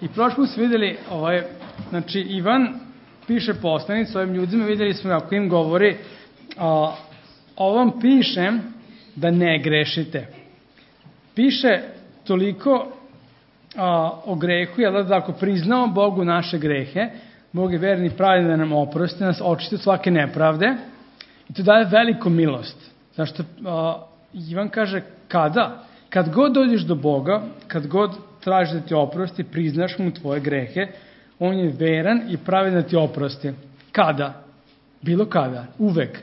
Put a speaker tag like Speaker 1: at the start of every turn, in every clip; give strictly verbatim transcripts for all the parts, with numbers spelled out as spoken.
Speaker 1: I prošli put smo videli, ovaj, znači Ivan piše poslanicu ovim ljudima, videli smo kako im govori, a, ovom pišem da ne grešite. Piše toliko a, o grehu, jel da ako priznamo Bogu naše grehe, Bog je verni i pravedan da nam oprosti, nas očisti od svake nepravde i to daje veliku milost. Zašto a, Ivan kaže kada? Kad god dođeš do Boga, kad god tražiš da ti oprosti, priznaš mu tvoje grehe, on je veran i pravedan da ti oprosti. Kada? Bilo kada. Uvek.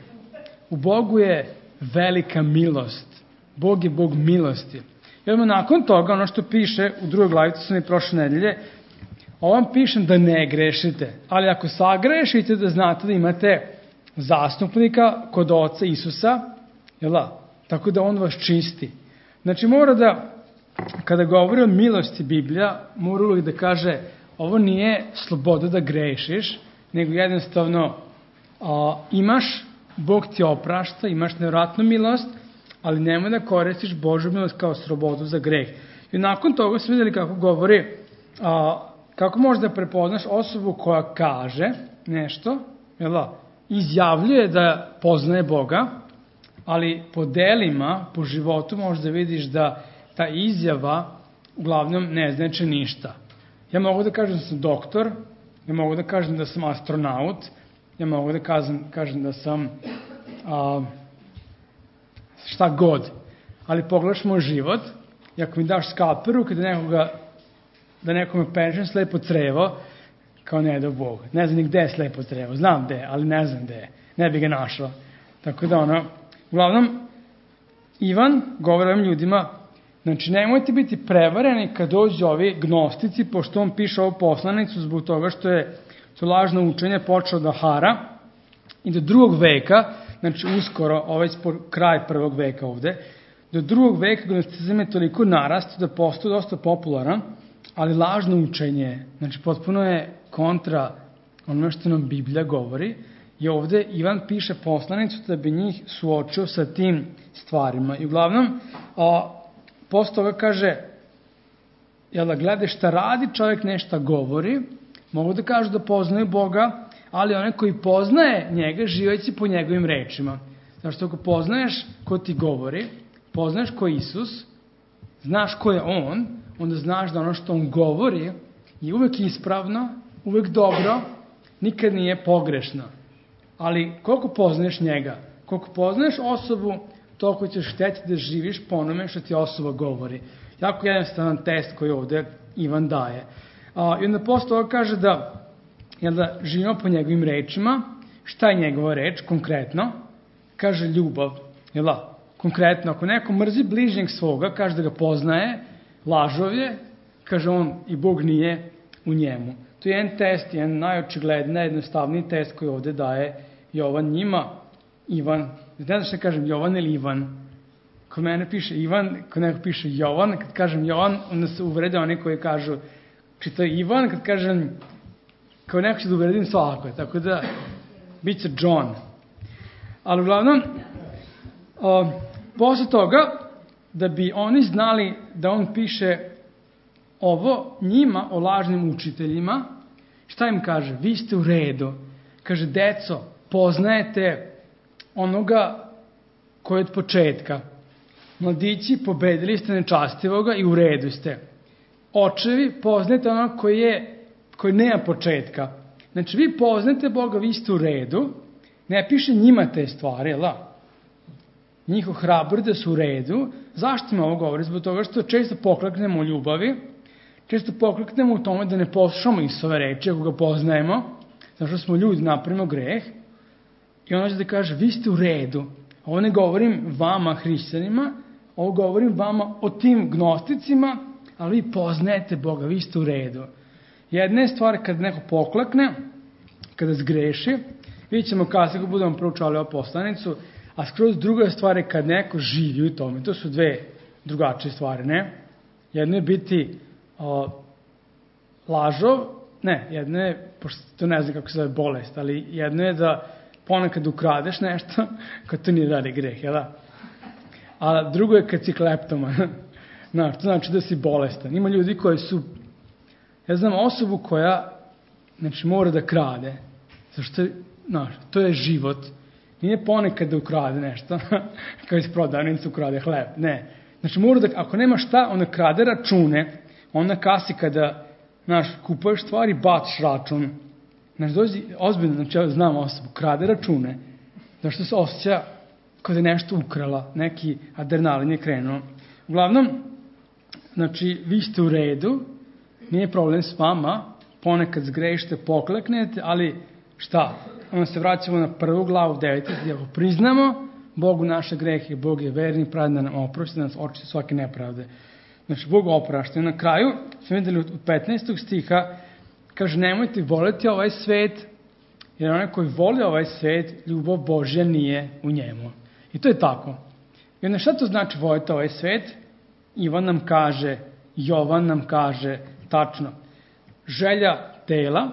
Speaker 1: U Bogu je velika milost. Bog je Bog milosti. I odmah nakon toga, ono što piše u drugoj glavi, to sam i prošle nedelje, ovom pišem da ne grešite. Ali ako sagrešite, da znate da imate zastupnika kod Oca Isusa, jel da? Tako da on vas čisti. Znači mora da, kada govori o milosti Biblija, mora uvijek da kaže, ovo nije sloboda da grešiš, nego jednostavno a, imaš, Bog ti oprašta, imaš nevratnu milost, ali nemoj da koristiš Božju milost kao slobodu za greh. I nakon toga smo vidjeli kako govori, a, kako možeš da prepoznaš osobu koja kaže nešto, jel da, izjavljuje da poznaje Boga, ali po delima, po životu možeš da vidiš da ta izjava uglavnom ne znači ništa. Ja mogu da kažem da sam doktor, ja mogu da kažem da sam astronaut, ja mogu da kažem, kažem da sam a, šta god. Ali pogledaš moj život i ako mi daš skalperu kada nekoga, da nekome penčem slepo crevo, kao ne da Bog. Ne znam ni gde je slepo crevo, znam gde, ali ne znam gde je. Ne bi ga našao. Tako da ono, uglavnom, Ivan govori ovim ljudima, znači nemojte biti prevareni kad dođu ovi gnostici, pošto on piše ovu poslanicu zbog toga što je to lažno učenje počelo da hara i do drugog veka, znači uskoro, ovaj kraj prvog veka ovde, do drugog veka gnosticizam je toliko narasto da postoje dosta popularan, ali lažno učenje, znači potpuno je kontra onome što nam Biblija govori. I ovde Ivan piše poslanicu da bi njih suočio sa tim stvarima. I uglavnom, a, posle toga kaže, jel da gledaj šta radi, čovjek nešto govori, mogu da kažu da poznaju Boga, ali onaj koji poznaje njega, živeći po njegovim rečima. Zašto ako poznaješ ko ti govori, poznaješ ko je Isus, znaš ko je on, onda znaš da ono što on govori je uvek ispravno, uvek dobro, nikad nije pogrešno. Ali koliko poznaješ njega, koliko poznaješ osobu, toliko ćeš hteti da živiš po onome što ti osoba govori. Jako jednostavan test koji ovde Ivan daje. A, I onda posle toga kaže da, jel da živimo po njegovim rečima. Šta je njegova reč konkretno? Kaže ljubav. Jel da? Konkretno, ako neko mrzi bližnjeg svoga, kaže da ga poznaje, lažov je, kaže on i Bog nije u njemu. To je jedan test, jedan najočigledniji, najjednostavniji test koji ovde daje Jovan njima. Ivan, ne znam što kažem, Jovan ili Ivan. Kod mene piše Ivan, kod neko piše Jovan. Kad kažem Jovan, onda se uvrede oni koji kažu čita Ivan. Kad kažem, kao neko će da uvredim svako. Tako da, bit će John. Ali uglavnom, o, posle toga, da bi oni znali da on piše ovo njima o lažnim učiteljima, šta im kaže? Vi ste u redu. Kaže, deco, poznajete onoga koji je od početka. Mladići, pobedili ste nečastivoga i u redu ste. Očevi, poznajete onoga koji je, koji nema početka. Znači, vi poznajete Boga, vi ste u redu. Ne piše njima te stvari, jel da? Njih ohrabri da su u redu. Zašto im ovo govori? Zbog toga što često pokleknemo u ljubavi, često pokleknemo u tome da ne poslušamo Isove reči, ako ga poznajemo, zato što smo ljudi, napravimo greh, i on će da kaže, vi ste u redu. Ovo ne govorim vama, hrišćanima, ovo govorim vama o tim gnosticima, ali vi poznajete Boga, vi ste u redu. Jedna je stvar kad neko poklekne, kada zgreši, vidjet ćemo kasnije kako budemo proučavali ovu poslanicu, a skroz druga stvar je kad neko živi u tome. To su dve drugačije stvari, ne? Jedno je biti o, lažov, ne, jedno je, pošto to ne znam kako se zove bolest, ali jedno je da ponekad ukradeš nešto, kad to nije dalje greh, jel da? A drugo je kad si kleptoman. Znaš, to znači da si bolestan. Ima ljudi koji su, Ja znam osobu koja, znači, mora da krade, zašto, znaš, to je život. Nije ponekad da ukrade nešto, kao iz prodavnice ukrade hleb, ne. Znači, mora da, ako nema šta, onda krade račune, onda kasi kada, znaš, kupuješ stvari, baciš račun. Znači, dođi, ozbiljno, znači, ja znam osobu, krade račune, zašto se osjeća kao da je nešto ukrala, neki adrenalin je krenuo. Uglavnom, znači, vi ste u redu, nije problem s vama, ponekad zgrešite, pokleknete, ali šta? Onda se vraćamo na prvu glavu, deveti, gdje ako priznamo Bogu naše grehe, Bog je verni, pravedan da nam oprosti, da nas očisti svake nepravde. Znači, Bog oprašta. Na kraju, smo vidjeli od petnaestog stiha, kaže, nemojte voleti ovaj svet, jer onaj koji voli ovaj svet, ljubav Božja nije u njemu. I to je tako. I onda šta to znači voliti ovaj svet? Ivan nam kaže, Jovan nam kaže, tačno, želja tela,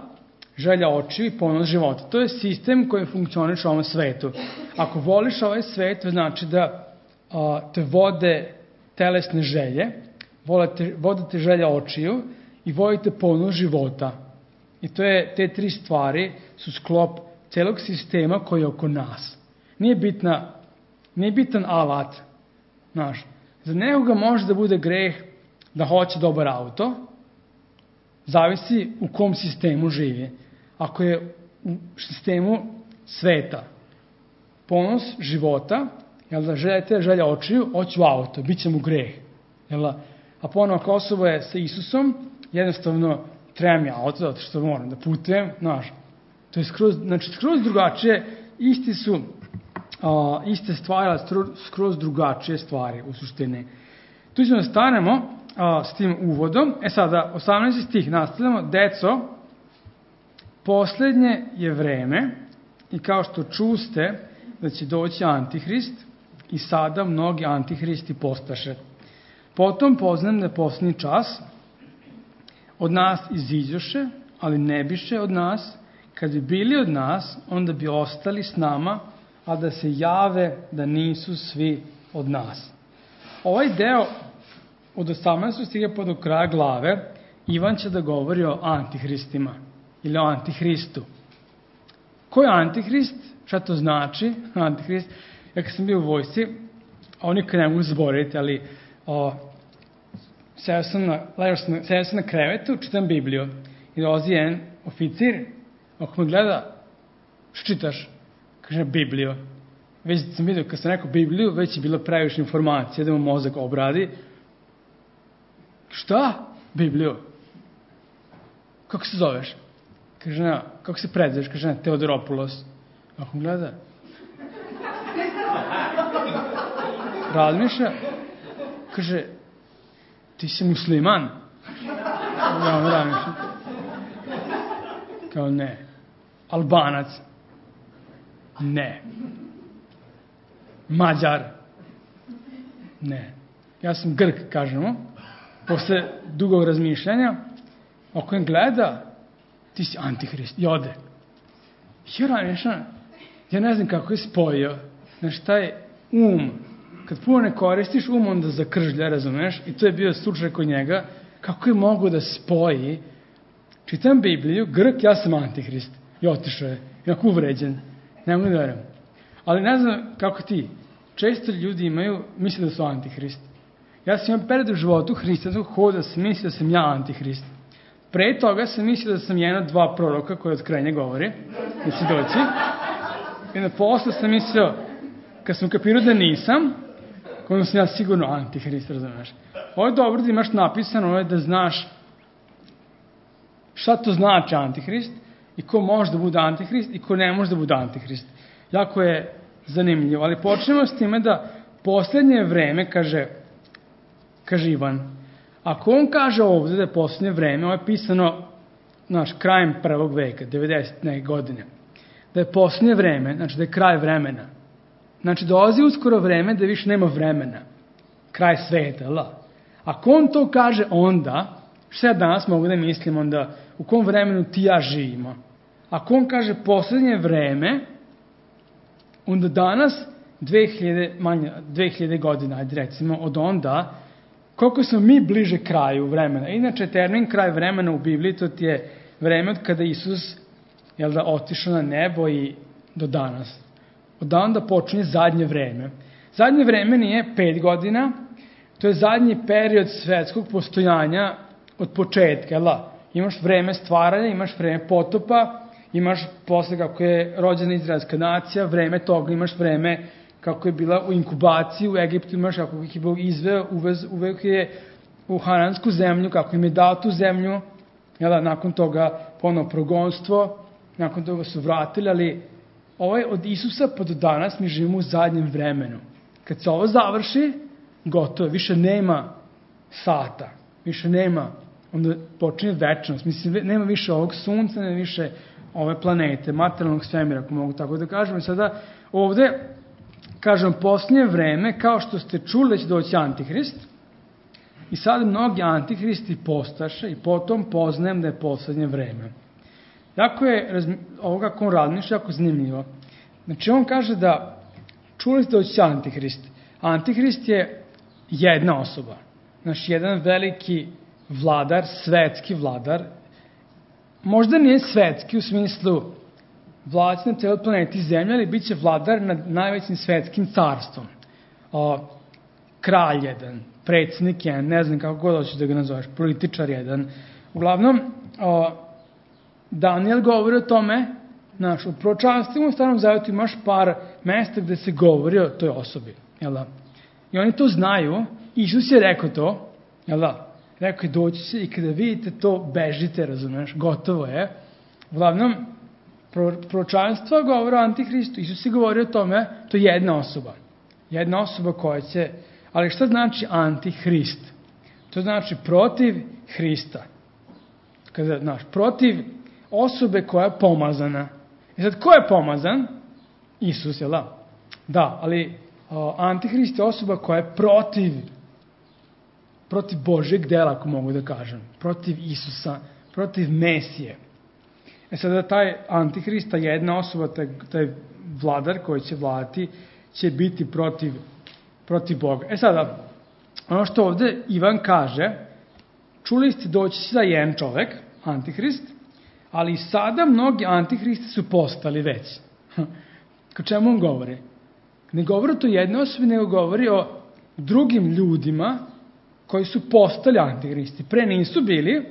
Speaker 1: želja očiju i ponos života. To je sistem koji funkcioniše u ovom svetu. Ako voliš ovaj svet, to znači da a, te vode telesne želje, volite, vodite želja očiju i vodite ponos života. I to je, te tri stvari su sklop celog sistema koji je oko nas. Nije bitna, nije bitan alat, znaš. Za nekoga može da bude greh da hoće dobar auto, zavisi u kom sistemu živi. Ako je u sistemu sveta, ponos života, jel da želite želja očiju, hoću auto, bit će mu greh. Jel da? A ponovno ako osoba je sa Isusom, jednostavno treba mi auto, zato što moram da putujem, znaš. To je skroz, znači, skroz drugačije, isti su, a, iste stvari, ali skroz drugačije stvari u suštini. Tu ćemo da stanemo a, s tim uvodom. E sada, osamnaesti stih nastavljamo. Deco, poslednje je vreme i kao što čuste da će doći Antihrist i sada mnogi Antihristi postaše. Potom poznam da je poslednji čas, od nas iziđoše, ali ne biše od nas. Kad bi bili od nas, onda bi ostali s nama, a da se jave da nisu svi od nas. Ovaj deo od osamnaestog stiha pa do kraja glave, Ivan će da govori o Antihristima ili o Antihristu. Ko je Antihrist? Šta to znači? Antihrist. Ja kad sam bio u vojsci, oni nikad ne mogu zaboraviti, ali o, seo sam na, sam, seo sam na krevetu, čitam Bibliju i dolazi jedan oficir, ako me gleda, što čitaš? Kaže Bibliju. Već sam vidio, kad sam rekao Bibliju, već je bilo previše informacije da mu mozak obradi. Šta? Bibliju. Kako se zoveš? Kaže, na, kako se predzeš? Kaže, na, Teodoropoulos. Ako me gleda, razmišlja, kaže, ti si musliman? Ja on razmišlja. Kao ne. Albanac? Ne. Mađar? Ne. Ja sam Grk, kažemo. Posle dugog razmišljanja, ako im gleda, ti si Antihrist. I ode. Ja razmišljam, ja ne znam kako je spojio. Znaš, taj um, kad puno ne koristiš, um onda zakržlja, razumeš? I to je bio slučaj kod njega. Kako je mogo da spoji? Čitam Bibliju, Grk, ja sam Antihrist. I otišao je. Inako uvređen. Ne mogu da verujem. Ali ne znam kako ti. Često ljudi imaju, misle da su Antihrist. Ja sam imao period u životu hrišćanskog hoda, sam mislio da sam ja Antihrist. Pre toga sam mislio da sam jedna dva proroka koje od krenja govori, da si doći. I na posle sam mislio, kad sam kapirao da nisam, onda sam ja sigurno Antihrist, razumeš. Ovo je dobro da imaš napisano, ovo je da znaš šta to znači Antihrist i ko može da bude Antihrist i ko ne može da bude Antihrist. Jako je zanimljivo, ali počnemo s time da poslednje vreme, kaže, kaže Ivan, ako on kaže ovdje da je poslednje vreme, ovo je pisano, znaš, krajem prvog veka, devedesete godine, da je poslednje vreme, znači da je kraj vremena. Znači dolazi uskoro vreme da više nema vremena. Kraj sveta, la. Ako on to kaže onda, što ja danas mogu da mislim onda, u kom vremenu ti ja živimo? Ako on kaže poslednje vreme, onda danas, dve hiljade, manje, dve hiljade godina, ajde recimo, od onda, koliko smo mi bliže kraju vremena. Inače, termin kraj vremena u Bibliji, to ti je vreme od kada Isus, jel da, otišao na nebo i do danas. Od onda počinje zadnje vreme. Zadnje vreme nije pet godina, to je zadnji period svetskog postojanja od početka, jel da? Imaš vreme stvaranja, imaš vreme potopa, imaš posle kako je rođena izraelska nacija, vreme toga, imaš vreme kako je bila u inkubaciji u Egiptu, imaš kako ih je Bog izveo, uvez, uvek je u hanansku zemlju, kako im je dao tu zemlju, jel da, nakon toga ponovo progonstvo, nakon toga su vratili, ali ovaj od Isusa pa do danas mi živimo u zadnjem vremenu. Kad se ovo završi, gotovo, više nema sata, više nema, onda počinje večnost, mislim, nema više ovog sunca, nema više ove planete, materijalnog svemira, ako mogu tako da kažem. I sada ovde, kažem, posljednje vreme, kao što ste čuli da će doći Antihrist, i sad mnogi Antihristi postaše i potom poznajem da je posljednje vreme. Jako je, ovo kako on razmišlja, jako zanimljivo. Znači, on kaže da čuli ste da će Antihrist. Antihrist je jedna osoba. Znači, jedan veliki vladar, svetski vladar. Možda nije svetski u smislu vladac na celoj planeti Zemlja, ali bit će vladar nad najvećim svetskim carstvom. O, kralj jedan, predsjednik jedan, ne znam kako god hoćeš da ga nazoveš, političar jedan. Uglavnom, o, Daniel govori o tome, znaš, u proročanstvima u Starom Zavetu imaš par mesta gde se govori o toj osobi, jel da? I oni to znaju, Isus je rekao to, jel da? Rekao je, doći će i kada vidite to, bežite, razumeš, gotovo je. Uglavnom, proročanstva govore o Antihristu, Isus je govorio o tome, to je jedna osoba. Jedna osoba koja će, ali šta znači Antihrist? To znači protiv Hrista. Kada, znaš, protiv osobe koja je pomazana. I sad, ko je pomazan? Isus, jel da? Da, ali o, Antihrist je osoba koja je protiv protiv Božjeg dela, ako mogu da kažem. Protiv Isusa, protiv Mesije. E sada, taj Antihrist, ta jedna osoba, taj, taj vladar koji će vladati, će biti protiv, protiv Boga. E sada, ono što ovde Ivan kaže, čuli ste doći za jedan čovek, Antihrist, ali sada mnogi Antihristi su postali već. Ko čemu on govori? Ne govori o to jednoj osobi, nego govori o drugim ljudima koji su postali Antihristi. Pre nisu bili,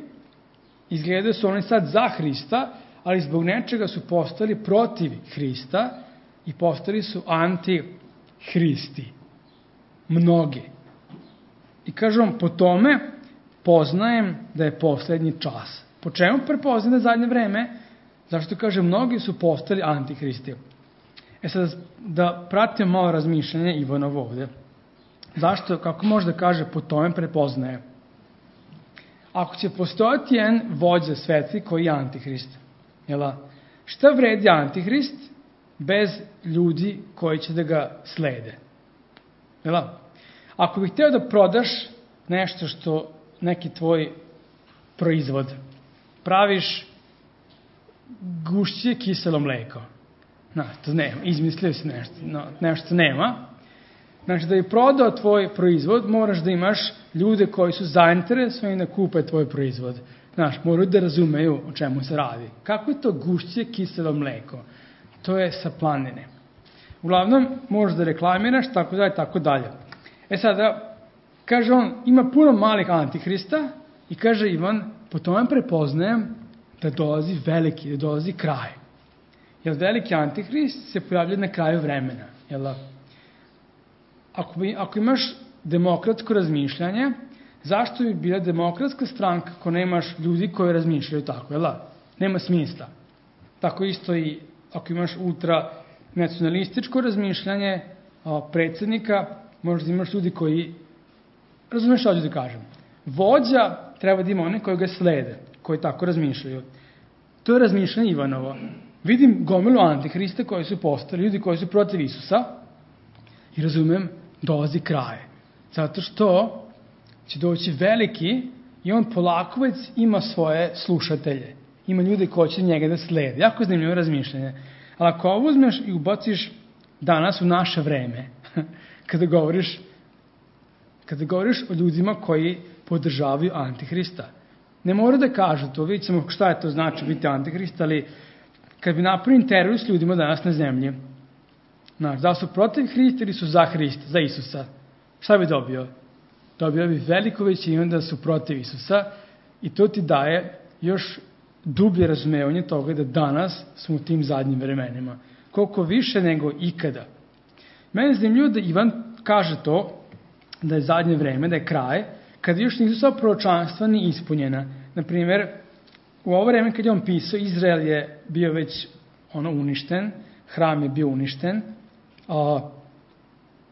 Speaker 1: izgleda su oni sad za Hrista, ali zbog nečega su postali protiv Hrista i postali su Antihristi. Mnogi. I kažem, po tome poznajem da je poslednji čas. Po čemu prepoznajem da je zadnje vreme? Zašto kažem, mnogi su postali Antihristi. E sad, da pratim malo razmišljanje Ivanovo ovde. Zašto, kako može da kaže, po tome prepoznaje? Ako će postojati jedan vođa svetski koji je Antihrist, jel? Šta vredi Antihrist bez ljudi koji će da ga slede? Jel? Ako bih hteo da prodaš nešto što neki tvoj proizvod, praviš gušće kiselo mleko. No, to nema, izmislio si nešto, no, nešto nema. Znači, da bi prodao tvoj proizvod, moraš da imaš ljude koji su zainteresovani da kupe tvoj proizvod. Znaš, moraju da razumeju o čemu se radi. Kako je to gušće kiselo mleko? To je sa planine. Uglavnom, možeš da reklamiraš, tako dalje, tako dalje. E sada, kaže on, ima puno malih Antihrista i kaže Ivan, po tome prepoznajem da dolazi veliki, da dolazi kraj. Jer veliki Antihrist se pojavlja na kraju vremena. Jel? Ako, bi, ako imaš demokratsko razmišljanje, zašto bi bila demokratska stranka ako nemaš ljudi koji razmišljaju tako, jel? Nema smisla. Tako isto i ako imaš ultranacionalističko razmišljanje predsjednika, možda imaš ljudi koji, razumeš što ću da kažem, vođa treba da ima one koji ga slede, koji tako razmišljaju. To je razmišljanje Ivanovo. Vidim gomilu Antihrista koji su postali, ljudi koji su protiv Isusa i razumem, dolazi kraj. Zato što će doći veliki i on polako već ima svoje slušatelje. Ima ljude koji će njega da slede. Jako zanimljivo razmišljanje. Ali ako ovo uzmeš i ubaciš danas u naše vreme, kada govoriš kada govoriš o ljudima koji podržavaju Antihrista. Ne mora da kažu to, vidjet ćemo šta je to znači biti Antihrist, ali kad bi napravio intervju s ljudima danas na zemlji, znaš, da su protiv Hrista ili su za Hrista, za Isusa, šta bi dobio? Dobio bi veliko većinu da su protiv Isusa i to ti daje još dublje razumevanje toga da danas smo u tim zadnjim vremenima. Koliko više nego ikada. Mene je zanimljivo da Ivan kaže to, da je zadnje vreme, da je kraj, kada još nisu sva proročanstva ni ispunjena. Naprimjer, u ovo vreme kad je on pisao, Izrael je bio već ono uništen, hram je bio uništen, a,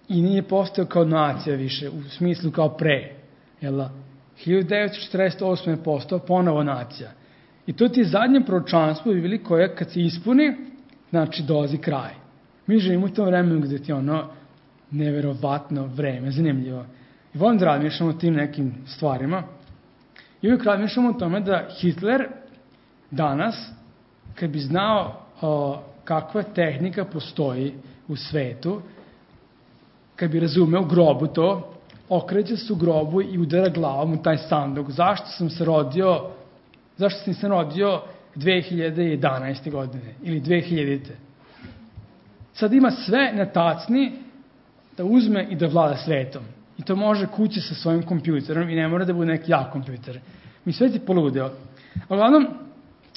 Speaker 1: i nije postao kao nacija više, u smislu kao pre. Jel? hiljadu devetsto četrdeset osme je postao ponovo nacija. I to ti je zadnje proročanstvo u Bibliji koje kad se ispuni, znači dolazi kraj. Mi živimo u tom vremenu gde ti je ono neverovatno vreme, zanimljivo. I volim da razmišljamo o tim nekim stvarima. I uvijek razmišljamo o tome da Hitler danas, kad bi znao o, kakva tehnika postoji u svetu, kad bi razumeo u grobu to, okreće se u grobu i udara glavom u taj sanduk. Zašto sam se rodio, zašto sam se rodio dve hiljade jedanaeste. godine ili dve hiljadite. Sad ima sve na tacni da uzme i da vlada svetom. I to može kući sa svojim kompjuterom i ne mora da bude neki jak kompjuter. Mi sve ti poludeo. Uglavnom,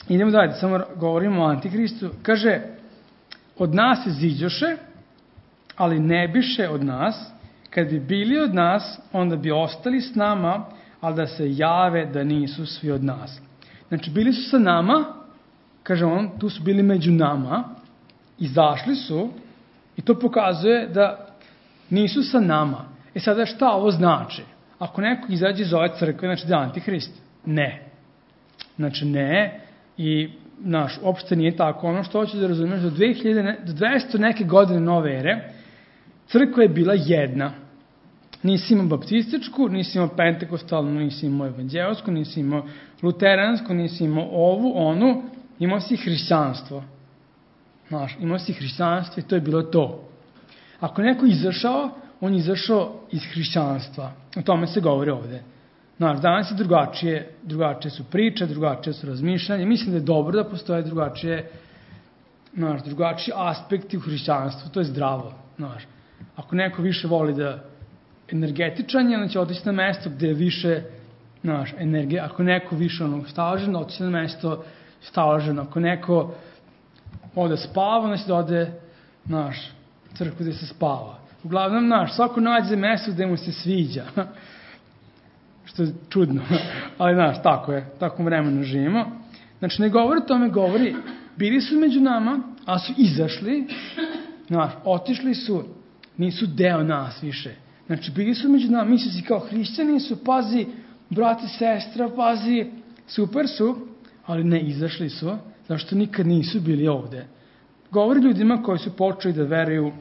Speaker 1: idemo dalje, samo govorimo o Antikristu. Kaže, od nas se ziđoše, ali ne biše od nas. Kad bi bili od nas, onda bi ostali s nama, ali da se jave da nisu svi od nas. Znači, bili su sa nama, kaže on, tu su bili među nama, izašli su i to pokazuje da nisu sa nama. E sada šta ovo znači? Ako neko izađe iz ove crkve, znači da je Antihrist? Ne. Znači ne. I, znaš, uopšte nije tako. Ono što hoću da razumiješ, do, dve hiljade, do dvesta neke godine nove ere, crkva je bila jedna. Nisi imao baptističku, nisi imao pentekostalnu, nisi imao evanđelsku, nisi imao luteransku, nisi imao ovu, onu, imao si hrišćanstvo. Znaš, imao si hrišćanstvo i to je bilo to. Ako neko izašao, on je izašao iz hrišćanstva. O tome se govori ovde. Znaš, danas je drugačije, drugačije su priče, drugačije su razmišljanje. Mislim da je dobro da postoje drugačije, znaš, drugačiji aspekti u hrišćanstvu. To je zdravo, znaš. Ako neko više voli da energetičanje, on će otići na mesto gde je više, znaš, energije. Ako neko više onog stalaženo, otići na mesto stalaženo. Ako neko ode spava, znači da ode, znaš, crkvu gde se spava. Uglavnom, znaš, svako nađe mesto gde mu se sviđa. Što je čudno. Ali, znaš, tako je. Tako vremenu živimo. Znači, ne govori o tome, govori, bili su među nama, a su izašli, znaš, otišli su, nisu deo nas više. Znači, bili su među nama, misli si kao hrišćani su, pazi, brati, sestra, pazi, super su, ali ne, izašli su, zašto nikad nisu bili ovde. Govori ljudima koji su počeli da veruju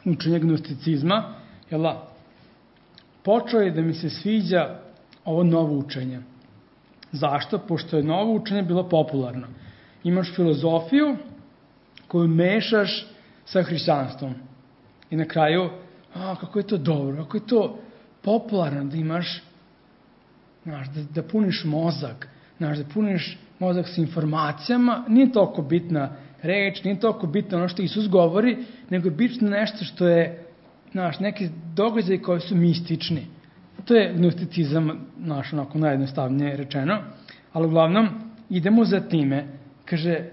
Speaker 1: učenje gnosticizma, jel da? Počeo je da mi se sviđa ovo novo učenje. Zašto? Pošto je novo učenje bilo popularno. Imaš filozofiju koju mešaš sa hrišćanstvom. I na kraju, a, kako je to dobro, kako je to popularno da imaš, znaš, da, da puniš mozak, znaš, da puniš mozak sa informacijama, nije toliko bitna reč, nije toliko bitno ono što Isus govori, nego je bitno nešto što je, znaš, neki događaj koji su mistični. To je gnosticizam, naš, onako najjednostavnije rečeno, ali uglavnom idemo za time. Kaže,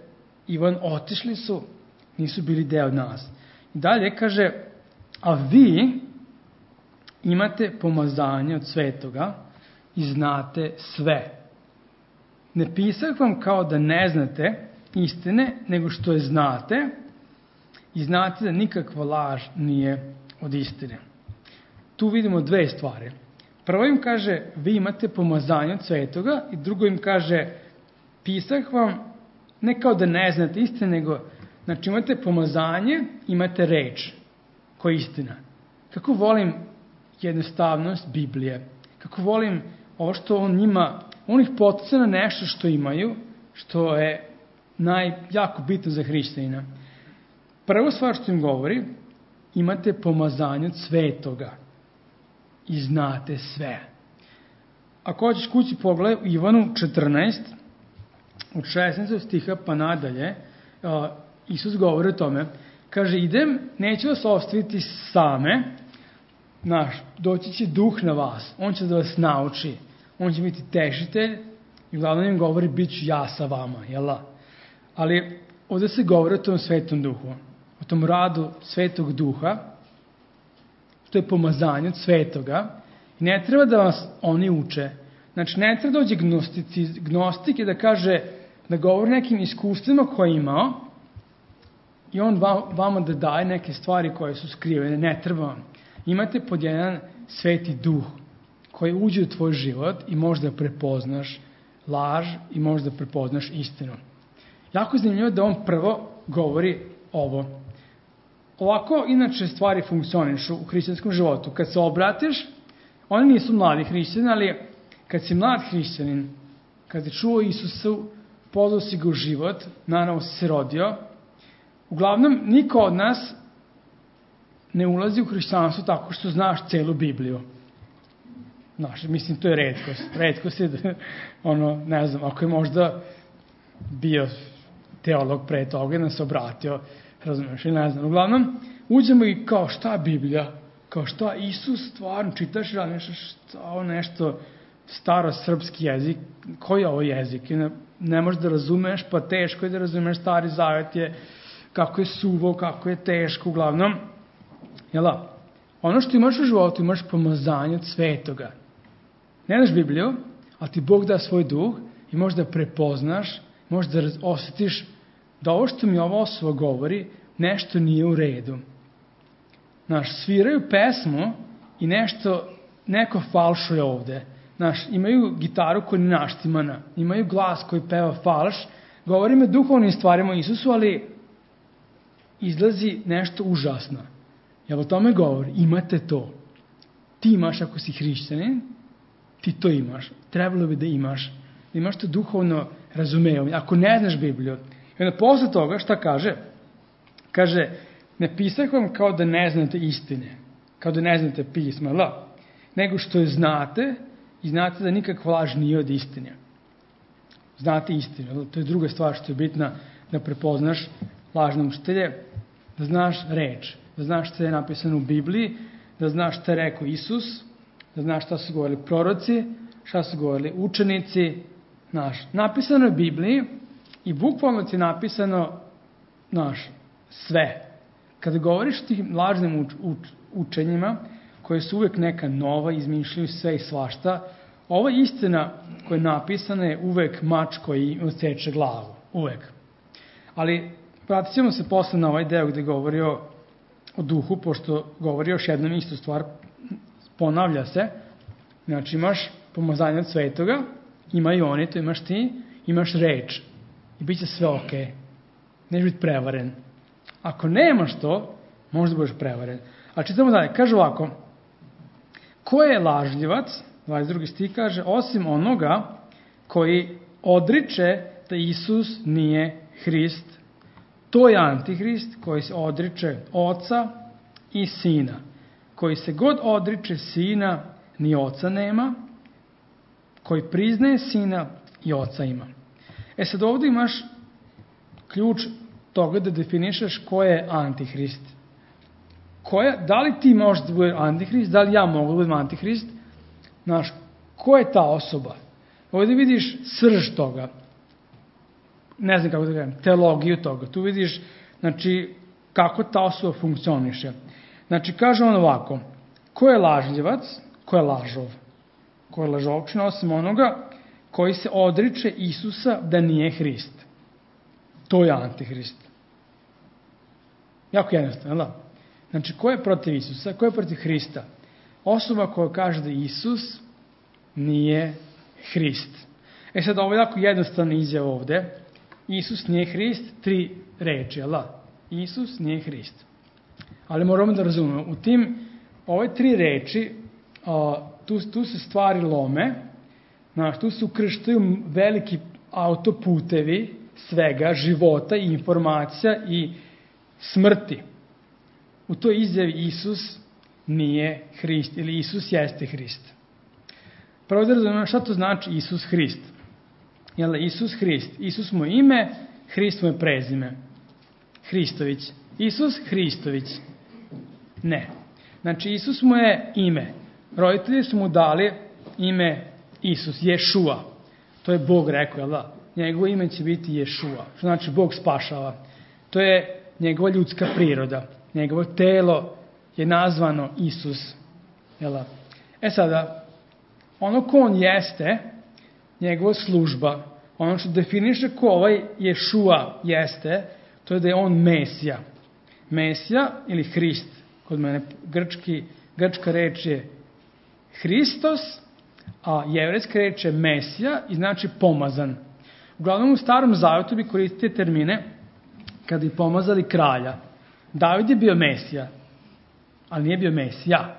Speaker 1: Ivan, otišli su, nisu bili deo nas. I dalje kaže, a vi imate pomazanje od svetoga i znate sve. Ne pisah vam kao da ne znate istine, nego što je znate i znate da nikakva laž nije od istine. Tu vidimo dve stvari. Prvo im kaže, vi imate pomazanje od svetoga i drugo im kaže, pisah vam ne kao da ne znate istine, nego, znači imate pomazanje, imate reč koja je istina. Kako volim jednostavnost Biblije, kako volim ovo što on njima, on ih potiče na nešto što imaju, što je naj, jako bitno za hrišćanina. Prvo stvar što im govori, imate pomazanje od svetoga. i znate sve. Ako hoćeš kući pogledaj u Ivanu četrnaest, od šesnaestog stiha pa nadalje, Isus govori o tome, kaže, idem, neću vas ostaviti same, naš, doći će duh na vas, on će da vas nauči, on će biti tešitelj i uglavnom im govori, bit ću ja sa vama, jel? Ali ovdje se govori o tom svetom duhu, o tom radu svetog duha, to je pomazanje od svetoga, i ne treba da vas oni uče. Znači, ne treba dođe gnostik i da kaže, da govori nekim iskustvima koje je imao i on vama da daje neke stvari koje su skrivene. Ne treba vam. Imate pod jedan sveti duh koji uđe u tvoj život i možda prepoznaš laž i možda prepoznaš istinu. Jako je zanimljivo da on prvo govori ovo. Ovako, inače, stvari funkcionišu u hrišćanskom životu. Kad se obratiš, oni nisu mladi hrišćani, ali kad si mlad hrišćanin, kad si čuo Isusu, pozvao si ga u život, naravno si se rodio, uglavnom, niko od nas ne ulazi u hrišćanstvo tako što znaš celu Bibliju. Znaš, mislim, to je retkost. Retkost je da, ono, ne znam, ako je možda bio teolog pre toga i nam se obratio, razumiješ, i ne znam. Uglavnom, uđemo i kao šta Biblija, kao šta Isus stvarno, čitaš i razmišljaš šta ovo nešto staro srpski jezik, koji je ovo jezik? Ne, ne možeš da razumeš, pa teško je da razumeš, Stari Zavet je, kako je suvo, kako je teško, uglavnom. Jela, ono što imaš u životu, imaš pomazanje od svetoga. Ne znaš Bibliju, ali ti Bog da svoj duh i možeš da prepoznaš, možeš da osjetiš da ovo što mi ova osoba govori, nešto nije u redu. Znaš, sviraju pesmu i nešto, neko falšuje ovde. Znaš, imaju gitaru koja je naštimana, imaju glas koji peva falš, govori me duhovnim stvarima o Isusu, ali izlazi nešto užasno. Jel o tome govori? Imate to. Ti imaš, ako si hrišćanin, ti to imaš. Trebalo bi da imaš. Da imaš to duhovno razumevanje. Ako ne znaš Bibliju. I onda posle toga šta kaže? Kaže, ne pisah vam kao da ne znate istine. Kao da ne znate pisma. La. Nego što je znate i znate da nikakva laž nije od istine. Znate istinu. To je druga stvar što je bitna, da prepoznaš lažne učitelje, da znaš reč, da znaš šta je napisano u Bibliji, da znaš šta je rekao Isus, da znaš šta su govorili proroci, šta su govorili učenici. Znaš, napisano je u Bibliji i bukvalno ti je napisano, znaš, sve. Kada govoriš o tim lažnim uč, uč, učenjima, koje su uvek neka nova, izmišljaju sve i svašta, ova istina koja je napisana je uvek mač koji odseče glavu. Uvek. Ali vratit ćemo se posle na ovaj deo gde govori o, o duhu, pošto govori još jednom istu stvar, ponavlja se. Znači imaš pomazanje od svetoga, imaju oni, to imaš ti, imaš reč i bit će sve ok. Neće biti prevaren. Ako nemaš to, možda budeš prevaren. Ali čitamo dalje, kaže ovako, ko je lažljivac, dvadeset drugi stih kaže, osim onoga koji odriče da Isus nije Hrist. To je Antihrist koji se odriče Oca i Sina. Koji se god odriče Sina, ni Oca nema. Koji priznaje Sina, i Oca ima. E sad ovdje imaš ključ toga da definišeš ko je Antihrist. Koja, da li ti možeš da budeš Antihrist, da li ja mogu da budem Antihrist? Znaš, ko je ta osoba? Ovdje vidiš srž toga. Ne znam kako da kažem, teologiju toga. Tu vidiš, znači, kako ta osoba funkcioniše. Znači, kaže on ovako, ko je lažljivac, ko je lažov? Ko je lažovčina, osim onoga koji se odriče Isusa da nije Hrist. To je Antihrist. Jako jednostavno, da? Znači, ko je protiv Isusa, ko je protiv Hrista? Osoba koja kaže da Isus nije Hrist. E sad, ovo je jako jednostavna izjava ovde. Isus nije Hrist, tri reči, jel da? Isus nije Hrist. Ali moramo da razumemo, u tim, ove tri reči, a, tu, tu se stvari lome, znaš, tu se ukrštaju veliki autoputevi svega, života i informacija i smrti. U toj izjavi Isus nije Hrist ili Isus jeste Hrist. Prvo da razumemo šta to znači Isus Hrist. Jel, Isus Hrist. Isus mu je ime, Hrist mu je prezime. Hristović. Isus Hristović. Ne. Znači, Isus mu je ime. Roditelji su mu dali ime Isus, Ješua. To je Bog rekao, jel da? Njegovo ime će biti Ješua. Što znači Bog spašava. To je njegova ljudska priroda. Njegovo telo je nazvano Isus. Jel da? E sada, ono ko on jeste, njegova služba, ono što definiše ko ovaj Ješua jeste, to je da je on Mesija. Mesija ili Hrist, kod mene grčki, grčka reč je Hristos, a jevrejska reč je Mesija i znači pomazan. Uglavnom u Starom Zavetu bi koristili termine kada bi pomazali kralja. David je bio Mesija, ali nije bio Mesija.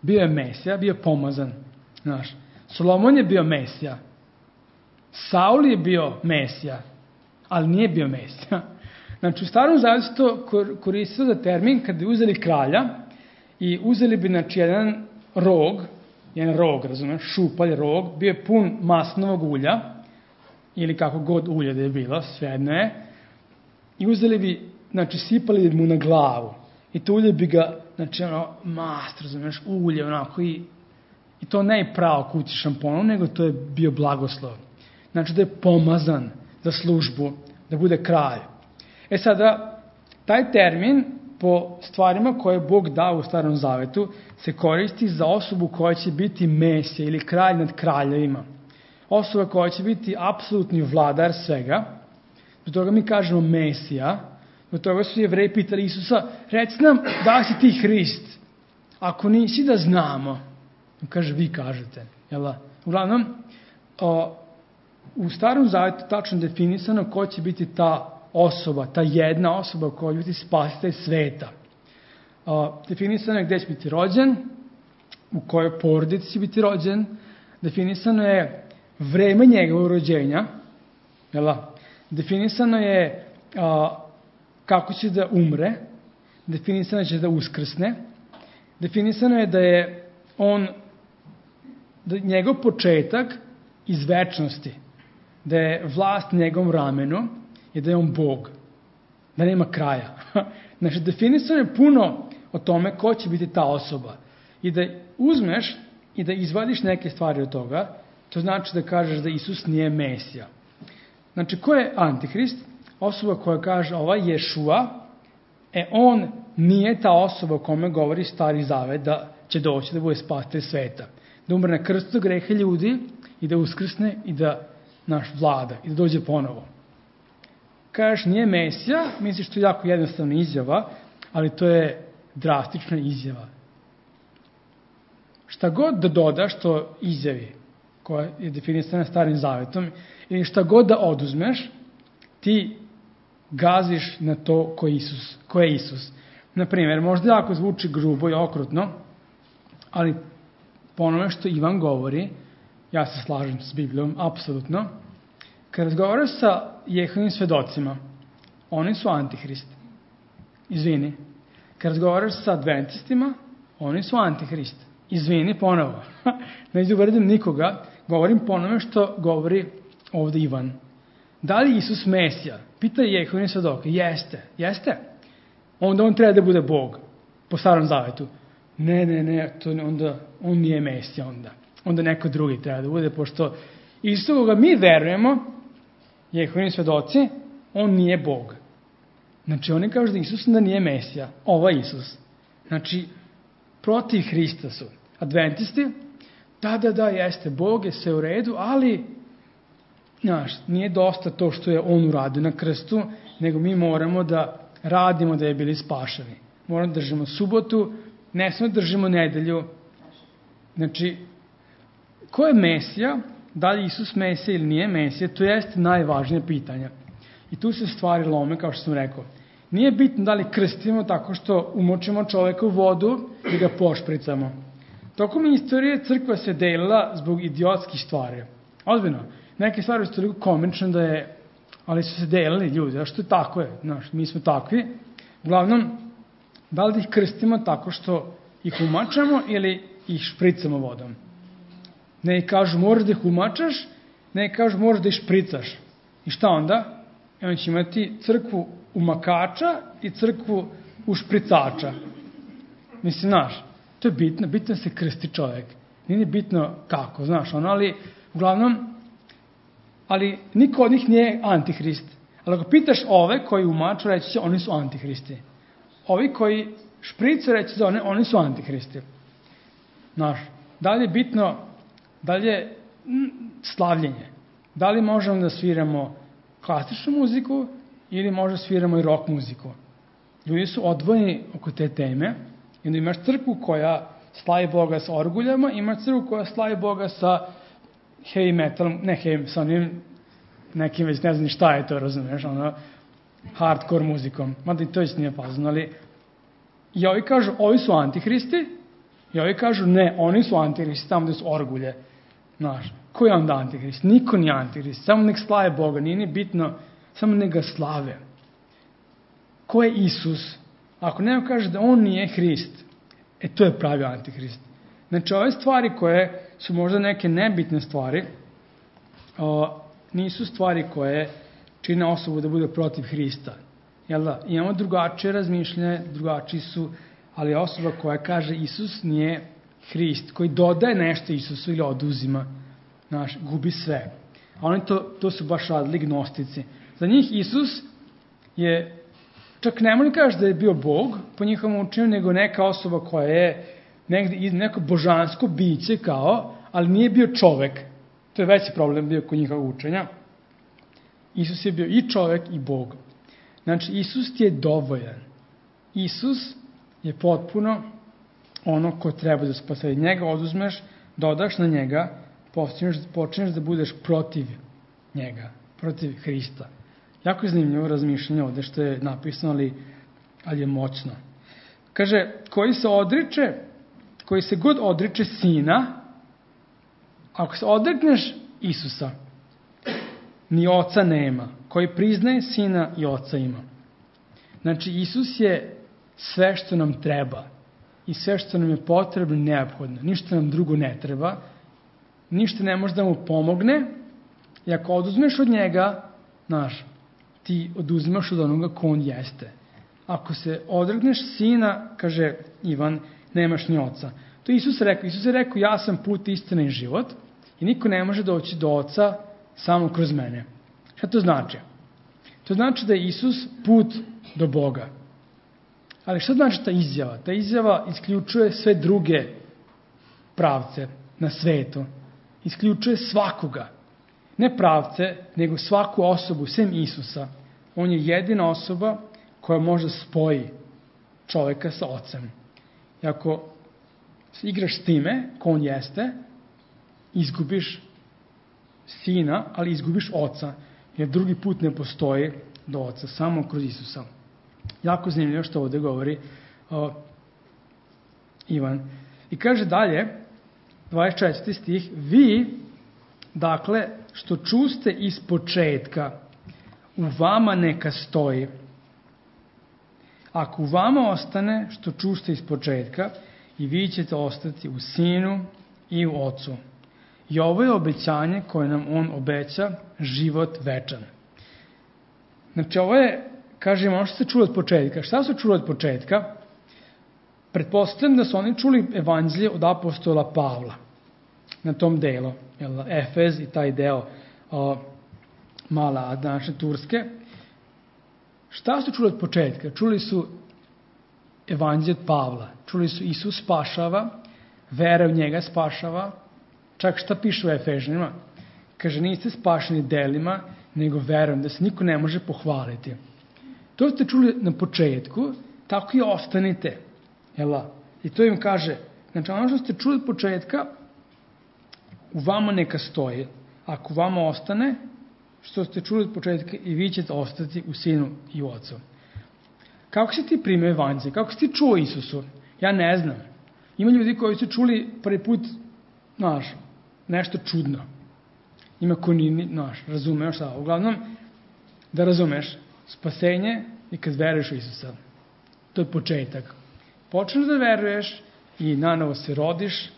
Speaker 1: Bio je Mesija, bio je pomazan. Znaš, Solomon je bio Mesija. Saul je bio Mesija, ali nije bio Mesija. Znači, u Starom Zavetu se to koristilo za termin kada bi uzeli kralja i uzeli bi, znači, jedan rog, jedan rog, razumiješ, šupalj rog, bio je pun masnovog ulja, ili kako god ulje da je bilo, svejedno je, i uzeli bi, znači, sipali mu na glavu. I to ulje bi ga, znači, ono, mast, razumiješ, ulje, onako, i, i to ne pravo kući šamponom, nego to je bio blagoslov. Znači, da je pomazan za službu, da bude kralj. E sada, taj termin, po stvarima koje je Bog dao u Starom Zavetu, se koristi za osobu koja će biti Mesija ili kralj nad kraljevima. Osoba koja će biti apsolutni vladar svega. Zbog toga mi kažemo Mesija. Zbog toga su Jevreji pitali Isusa, reci nam da si ti Hrist. Ako nisi, da znamo. On kaže, vi kažete. Jel? Uglavnom, o, u Starom Zavetu tačno definisano ko će biti ta osoba, ta jedna osoba koja će biti spasitelj sveta. O, definisano je gde će biti rođen, u kojoj porodici će biti rođen, definisano je vreme njegovog rođenja, jel? Definisano je o, kako će da umre, definisano je da će da uskrsne, definisano je da je on, da njegov početak iz večnosti, da je vlast njegovom ramenu i da je on Bog, da nema kraja. Znači, definisano je puno o tome ko će biti ta osoba. I da uzmeš i da izvadiš neke stvari od toga, to znači da kažeš da Isus nije Mesija. Znači, ko je Antihrist? Osoba koja kaže, ovaj Ješua, e on nije ta osoba o kome govori Stari Zavet da će doći da bude spasitelj sveta. Da umre na krstu grehe ljudi i da uskrsne i da naš vlada i da dođe ponovo. Kažeš nije Mesija, misliš to je jako jednostavna izjava, ali to je drastična izjava. Šta god da dodaš to izjavi, koja je definisana Starim Zavetom, ili šta god da oduzmeš, ti gaziš na to ko je Isus. Ko je Isus. Naprimjer, možda jako zvuči grubo i okrutno, ali po onome što Ivan govori, ja se slažem s Biblijom, apsolutno, kad razgovaraš sa Jehovim svedocima, oni su Antihrist. Izvini. Kad razgovaraš sa adventistima, oni su Antihrist. Izvini ponovo. Neću uvredim nikoga, govorim po onome što govori ovde Ivan. Da li Isus Mesija? Pita Jehovim svedoke. Jeste. Jeste. Onda on treba da bude Bog. Po Starom Zavetu. Ne, ne, ne, to onda, on nije Mesija onda. Onda neko drugi treba da bude, pošto Isus koga mi verujemo, Jehovini svedoci, on nije Bog. Znači, oni kažu da Isus da nije Mesija. Ovo je Isus. Znači, protiv Hrista su. Adventisti, da, da, da, jeste, Bog je sve u redu, ali, znaš, nije dosta to što je on uradio na krstu, nego mi moramo da radimo da je bili spašeni. Moramo da držimo subotu, ne samo da držimo nedelju. Znači, ko je Mesija? Da li Isus Mesija ili nije Mesija? To jeste najvažnije pitanja. I tu se stvari lome, kao što sam rekao. Nije bitno da li krstimo tako što umočimo čoveka u vodu i ga pošpricamo. Tokom istorije crkva se delila zbog idiotskih stvari. Ozbiljno. Neke stvari su toliko komične da je, ali su se delili ljudi. Zašto tako je? Znaš, mi smo takvi. Uglavnom, da li ih krstimo tako što ih umačamo ili ih špricamo vodom. Ne kažu moraš da ih umačaš, ne kažu moraš da ih špricaš. I šta onda? I on će imati crkvu umakača i crkvu ušpricača. Mislim, znaš, to je bitno, bitno se krsti čovjek. Nije bitno kako, znaš, ono, ali uglavnom, ali niko od njih nije antihrist. Ali ako pitaš ove koji umaču, reći će, oni su antihristi. Ovi koji šprice, reći za one, oni su antihristi. Znaš, da li je bitno, da li je slavljenje? Da li možemo da sviramo klasičnu muziku ili možda sviramo i rock muziku? Ljudi su odvojeni oko te teme. I onda imaš crkvu koja slavi Boga sa orguljama, imaš crkvu koja slavi Boga sa heavy metalom, ne heavy, sa onim nekim već ne znam ni šta je to, razumiješ, ono, hardcore muzikom. Mada i to već nije fazno, ali i ovi kažu, ovi su antihristi, i ovi kažu, ne, oni su antihristi, tamo gde su orgulje. Znaš, ko je onda antihrist? Niko nije antihrist, samo nek slave Boga, nije ni bitno, samo nek ga slave. Ko je Isus? Ako neko kaže da on nije Hrist, e to je pravi antihrist. Znači, ove stvari koje su možda neke nebitne stvari, o, nisu stvari koje čine osobu da bude protiv Hrista. Jel da? Imamo drugačije razmišljanje, drugačiji su, ali osoba koja kaže Isus nije Hrist, koji dodaje nešto Isusu ili oduzima, znaš, gubi sve. A oni to, to su baš radili gnostici. Za njih Isus je, čak ne mogu kažeš da je bio Bog po njihovom učenju, nego neka osoba koja je negde, neko božansko biće kao, ali nije bio čovek. To je veći problem bio kod njihovog učenja. Isus je bio i čovek i Bog. Znači, Isus ti je dovoljan. Isus je potpuno ono ko treba da spasuje. Njega oduzmeš, dodaš na njega, počinješ, počinješ da budeš protiv njega, protiv Hrista. Jako je zanimljivo razmišljanje ovde što je napisano, ali, ali je moćno. Kaže, koji se odriče, koji se god odriče sina, ako se odrekneš Isusa, ni oca nema. Koji priznaje sina i oca ima. Znači, Isus je sve što nam treba i sve što nam je potrebno neophodno. Ništa nam drugo ne treba, ništa ne može da mu pomogne i ako oduzmeš od njega, znaš, ti oduzimaš od onoga ko on jeste. Ako se odrekneš sina, kaže Ivan, nemaš ni oca. To je Isus rekao. Isus je rekao, ja sam put, istina i život i niko ne može doći do oca samo kroz mene. Šta to znači? To znači da je Isus put do Boga. Ali šta znači ta izjava? Ta izjava isključuje sve druge pravce na svetu. Isključuje svakoga. Ne pravce, nego svaku osobu, sem Isusa. On je jedina osoba koja može spoji čoveka sa ocem. I ako igraš s time, ko on jeste, izgubiš sina, ali izgubiš oca. Jer drugi put ne postoji do oca, samo kroz Isusa. Jako zanimljivo što ovde govori o, Ivan. I kaže dalje, dvadeset četvrti stih, vi, dakle, što čuste iz početka, u vama neka stoji. Ako u vama ostane što čuste iz početka, i vi ćete ostati u sinu i u ocu. I ovo je obećanje koje nam on obeća, život večan. Znači, ovo je, kažemo, ono što se čuli od početka. Šta su čuli od početka? Pretpostavljam da su oni čuli evanđelje od apostola Pavla na tom delu, jel, Efez i taj deo o, mala današnje Turske. Šta su čuli od početka? Čuli su evanđelje od Pavla. Čuli su Isus spašava, vera u njega spašava. Čak šta piše u Efežanima? Kaže, niste spašeni delima, nego verom, da se niko ne može pohvaliti. To ste čuli na početku, tako i ostanite. Jela? I to im kaže, znači ono što ste čuli od početka, u vama neka stoji. Ako u vama ostane, što ste čuli od početka, i vi ćete ostati u sinu i u ocu. Kako si ti primio evanđelje? Kako si ti čuo Isusu? Ja ne znam. Ima ljudi koji su čuli prvi put, znaš, nešto čudno. Ima ko ni, znaš, razumeo šta. Uglavnom, da razumeš, spasenje i kad veruješ u Isusa. To je početak. Počneš da veruješ i nanovo se rodiš i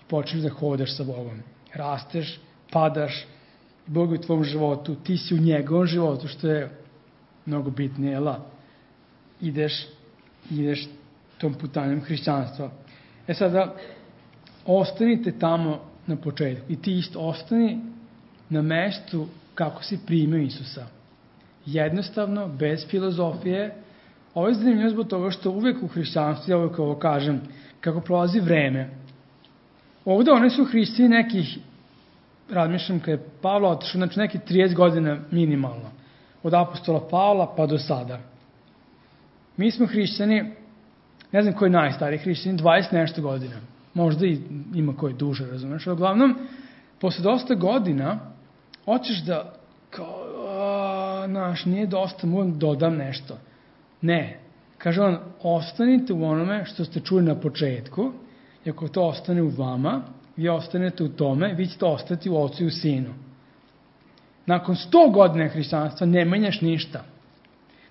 Speaker 1: počneš da hodaš sa Bogom. Rasteš, padaš, Bog je u tvom životu, ti si u njegovom životu, što je mnogo bitnije, jela? Ideš, ideš tom putanjem hrišćanstva. E sada, ostanite tamo na početku i ti isto ostani na mestu kako si primio Isusa. Jednostavno, bez filozofije. Ovo je zanimljivo zbog toga što uvek u hrišćanstvu, ja uvek ovo kažem, kako prolazi vreme. Ovde oni su hrišćani nekih, razmišljam kada je Pavle otišao, znači nekih trideset godina minimalno. Od apostola Pavla pa do sada. Mi smo hrišćani, ne znam koji je najstariji hrišćani, dvadeset nešto godina. Možda i ima koji duže, razumeš. Ali uglavnom, posle dosta godina, hoćeš da, kao, a, naš, nije dosta, moram dodam nešto. Ne. Kaže on, ostanite u onome što ste čuli na početku, i ako to ostane u vama, vi ostanete u tome, vi ćete ostati u Ocu i u Sinu. Nakon sto godina hrišćanstva ne menjaš ništa.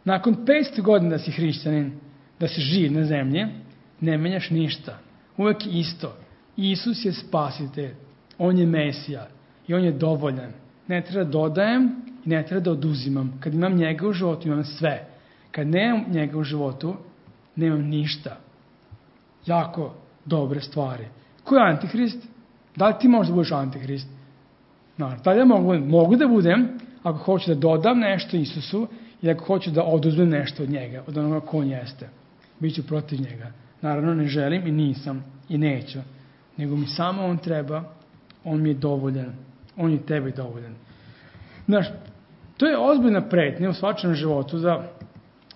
Speaker 1: Nakon petsto godina da si hrišćanin, da si živ na zemlji, ne menjaš ništa. Uvek isto. Isus je spasitelj. On je Mesija. I on je dovoljan. Ne treba da dodajem i ne treba da oduzimam. Kad imam njega u životu, imam sve. Kad nemam njega u životu, nemam ništa. Jako dobre stvari. Ko je antihrist? Da li ti možeš da budeš antihrist? Naravno, da li ja mogu, mogu da budem ako hoću da dodam nešto Isusu i ako hoću da oduzmem nešto od njega, od onoga ko on jeste. Biću protiv njega. Naravno, ne želim i nisam i neću. Nego mi samo on treba, on mi je dovoljan. On je tebi dovoljan. Znaš, to je ozbiljna pretnja u svačanom životu da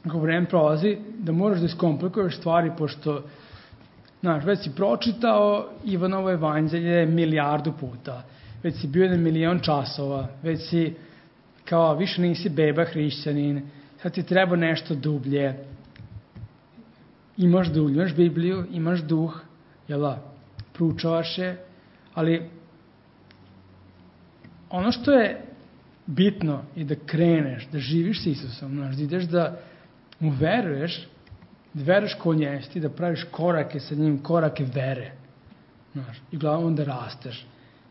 Speaker 1: ako vreme prolazi, da moraš da iskomplikuješ stvari, pošto, znaš, već si pročitao Ivanovo evanđelje milijardu puta, već si bio na milion časova, već si, kao, više nisi beba hrišćanin, sad ti treba nešto dublje. Imaš dublje, imaš Bibliju, imaš duh, jel' proučavaš je, ali ono što je bitno je da kreneš, da živiš s Isusom, znaš, da ideš da mu veruješ, da veruješ ko on jeste i da praviš korake sa njim, korake vere. Znaš, i uglavnom da rasteš.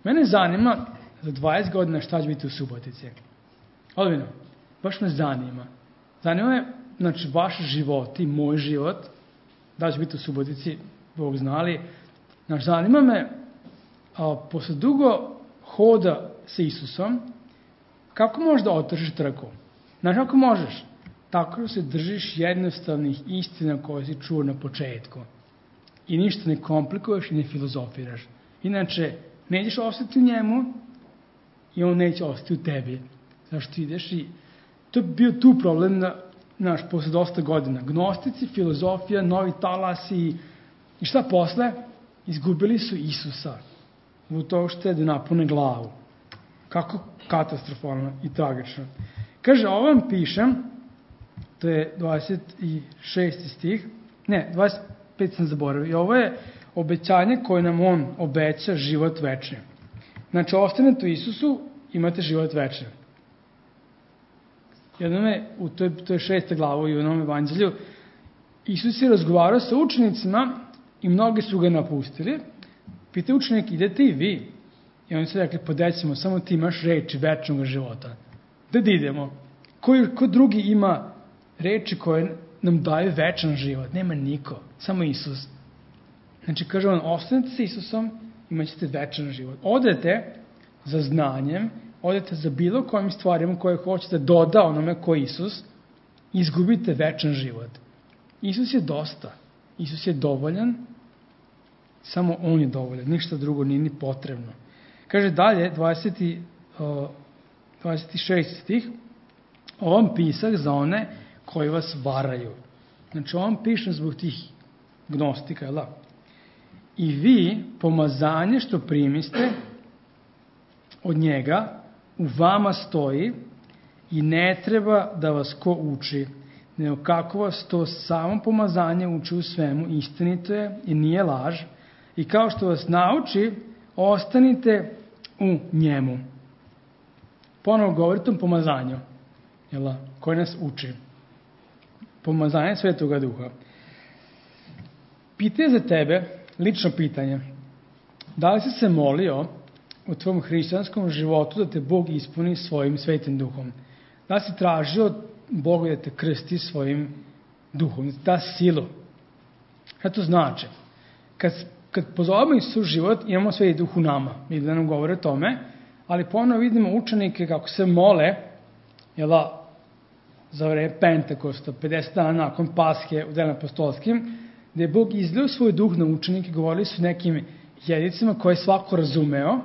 Speaker 1: Mene zanima za dvadeset godina šta će biti u Subotici. Odvino, baš me zanima. Zanima me, znači, vaš život i moj život, da će biti u Subotici, Bog znali. Znači, zanima me, a, posle dugo hoda sa Isusom, kako možeš da otržiš trku? Znaš, kako možeš? Tako da se držiš jednostavnih istina koje si čuo na početku. I ništa ne komplikuješ i ne filozofiraš. Inače, nećeš ostati u njemu i on neće ostati u tebi. Zašto ti ideš i to je bio tu problem na, naš, posle dosta godina. Gnostici, filozofija, novi talasi i šta posle? Izgubili su Isusa. Zbog toga što je da napune glavu. Kako katastrofalno i tragično. Kaže, ovo vam pišem, to je dvadeset šesti stih, ne, dvadeset pet sam zaboravio, i ovo je obećanje koje nam on obeća život večni. Znači, ostanete u Isusu, imate život večni. Jednome, u toj, to je šesta glava i u onom evanđelju, Isus je razgovarao sa učenicima i mnogi su ga napustili. Pita učenik, idete i vi? I oni su rekli, podećemo, samo ti imaš reči večnog života. Da idemo. Ko, ko drugi ima reči koje nam daju večan život? Nema niko, samo Isus. Znači, kaže on, ostanete sa Isusom, imat ćete večan život. Odete za znanjem, odete za bilo kojim stvarima koje hoćete doda onome ko je Isus, izgubite večan život. Isus je dosta. Isus je dovoljan, samo on je dovoljan. Ništa drugo nije ni potrebno. Kaže dalje, dvadeset, dvadeset šesti stih, ovom pisak za one koji vas varaju. Znači, ovom pišem zbog tih gnostika, jel da? I vi, pomazanje što primiste od njega, u vama stoji i ne treba da vas ko uči, nego kako vas to samo pomazanje uči u svemu, istinito je i nije laž, i kao što vas nauči, ostanite u njemu. Ponovo govori tom pomazanju, jel, koji nas uči. Pomazanje Svetoga Duha. Pitanje za tebe, lično pitanje. Da li si se molio u tvom hrišćanskom životu da te Bog ispuni svojim svetim duhom? Da li si tražio Boga da te krsti svojim duhom, da silu? Šta to znači? Kad, kad pozovemo Isus život, imamo sveti duh u nama. Mi da nam govore o tome, ali ponovno vidimo učenike kako se mole, jela, za vreme Pentekosta, pedeset dana nakon Paske u Delima apostolskim, gde je Bog izlio svoj duh na učenike, govorili su nekim jezicima koje je svako razumeo,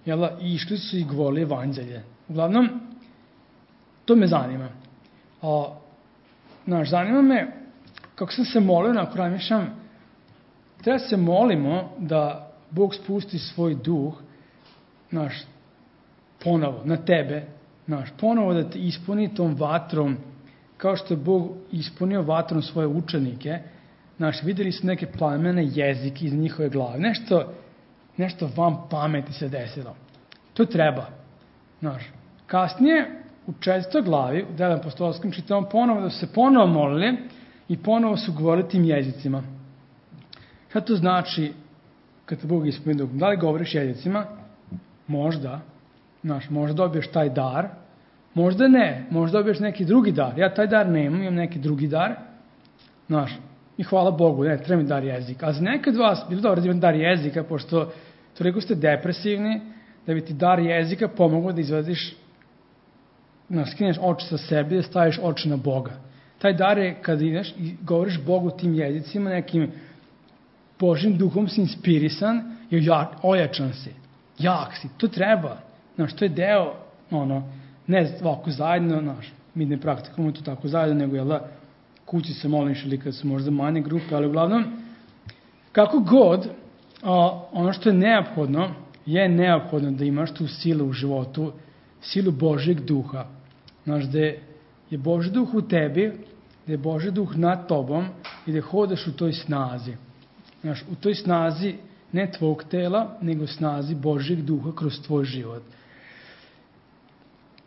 Speaker 1: jela, i išli su i govorili evanđelje. Uglavnom, to me zanima. A, znaš, zanima me, kako sam se molio, nakon razmišljam, treba se molimo da Bog spusti svoj duh, znaš, ponovo, na tebe, znaš, ponovo da te ispuni tom vatrom, kao što je Bog ispunio vatrom svoje učenike. Znaš, videli su neke plamene jezike iz njihove glave, nešto, nešto vam pameti se desilo. To treba. Znaš, kasnije, u četvrtoj glavi, u Delima apostolskim, čitamo ponovo da su se ponovo molili i ponovo su govorili tim jezicima. Šta to znači kad te Bog ispuni duh? Da li govoriš jezicima? Možda. Znaš, možda dobiješ taj dar, možda ne, možda dobiješ neki drugi dar. Ja taj dar nemam, imam neki drugi dar. Znaš, i hvala Bogu, ne, treba mi dar jezika. A za nekad vas, bilo dobro da imam dar jezika, pošto toliko ste depresivni, da bi ti dar jezika pomogao da izvadiš, znaš, skineš oči sa sebi, da staviš oči na Boga. Taj dar je kad ideš i govoriš Bogu tim jezicima, nekim Božim duhom si inspirisan i ojačan si. Jak si, to treba. Znaš, to je deo, ono, ne ovako zajedno, znaš, mi ne praktikujemo to tako zajedno, nego jel da kući se moliš ili kad su možda manje grupe, ali uglavnom, kako god, a, ono što je neophodno, je neophodno da imaš tu silu u životu, silu Božjeg duha. Znaš, da je Božji duh u tebi, da je Božji duh nad tobom i da hodaš u toj snazi. Znaš, u toj snazi ne tvog tela, nego snazi Božjeg duha kroz tvoj život.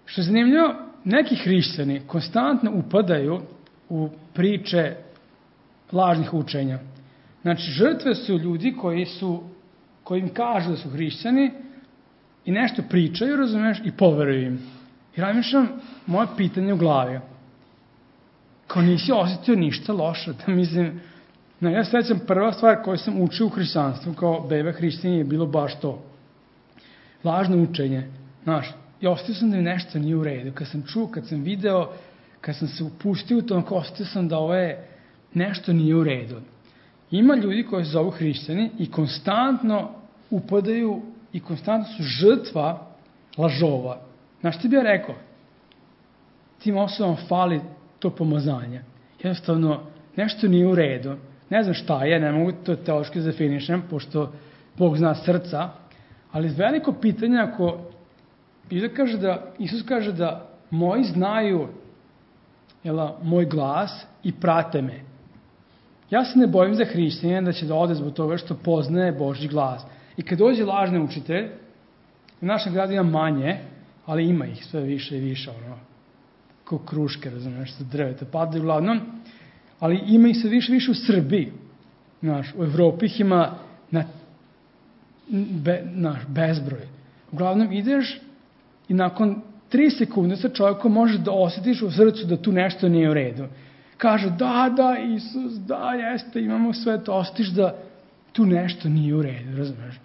Speaker 1: Što je zanimljivo, neki hrišćani konstantno upadaju u priče lažnih učenja. Znači, žrtve su ljudi koji su, koji im kažu da su hrišćani i nešto pričaju, razumiješ, i poveruju im. I razmišljam, moje pitanje u glavi, kao nisi osjetio ništa loše, da mislim, no, ja sećam prva stvar koju sam učio u hrišćanstvu, kao beba hrišćanije, je bilo baš to. Lažno učenje, znaš, i osjetio sam da mi nešto nije u redu. Kad sam čuo, kad sam video, kad sam se upustio u tom, osjetio sam da ovo je nešto nije u redu. Ima ljudi koji se zovu hrišćani i konstantno upadaju i konstantno su žrtva lažova. Znaš, ti bi ja rekao, tim osobama fali to pomazanje. Jednostavno, nešto nije u redu. Ne znam šta je, ne mogu to teološki definišem, pošto Bog zna srca, ali veliko pitanje ako Isus kaže da, Isus kaže da moji znaju jela, moj glas i prate me. Ja se ne bojim za hrišćanina da će da ode zbog toga što poznaje Božji glas. I kad dođe lažni učitelj, u našem gradu ima manje, ali ima ih sve više i više, ono, kao kruške, razumiješ, sa drveta padaju uglavnom, ali ima ih sve više i više u Srbiji. Znaš, u Evropi ih ima na, be, naš, bezbroj. Uglavnom ideš i nakon tri sekunde sa čovjekom možeš da osjetiš u srcu da tu nešto nije u redu. Kaže, da, da, Isus, da, jeste, imamo sve to, osjetiš da tu nešto nije u redu, razumiješ?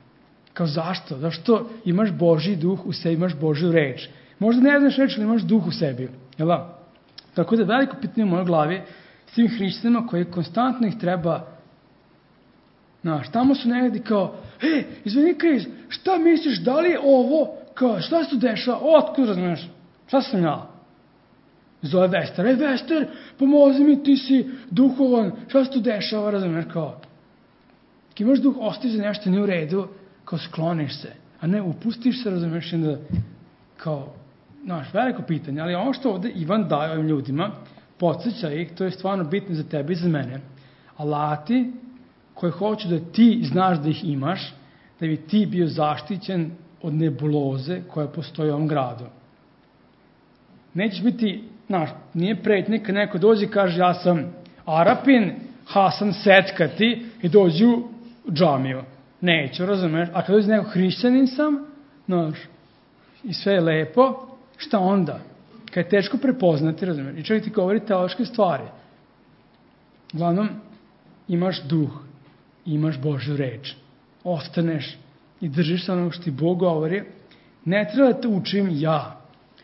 Speaker 1: Kao zašto? Zašto imaš Božji duh u sebi, imaš Božju reč? Možda ne znaš reč, ali imaš duh u sebi. Jel da? Tako da veliko pitanje u mojoj glavi s tim hrišćanima koji konstantno ih treba, znaš, tamo su negdje kao, e, izvini Kris, šta misliš, da li je ovo, kao, šta se tu dešava, otkud, razumiješ, šta sam ja? Zove Vester, e, Vester, pomozi mi, ti si duhovan, šta se tu dešava, razumiješ, kao, kad imaš duh, ostaviš za nešto nije u redu, kao skloniš se, a ne upustiš se, razumiješ, da, kao, znaš, veliko pitanje, ali ono što ovde Ivan daje ovim ljudima, podsjeća ih, to je stvarno bitno za tebe i za mene, alati koji hoću da ti znaš da ih imaš, da bi ti bio zaštićen od nebuloze koja postoji u ovom gradu. Nećeš biti, znaš, nije pretnje kad neko dođe i kaže ja sam Arapin, Hasan Seckati i dođu džamiju. Neću, razumeš? A kada dođe neko hrišćanin sam, znaš, i sve je lepo, šta onda? Kad je teško prepoznati, razumeš? I čovjek ti govori teološke stvari. Uglavnom, imaš duh, imaš Božju reč. Ostaneš i držiš se onog što ti Bog govori. Ne treba da te učim ja.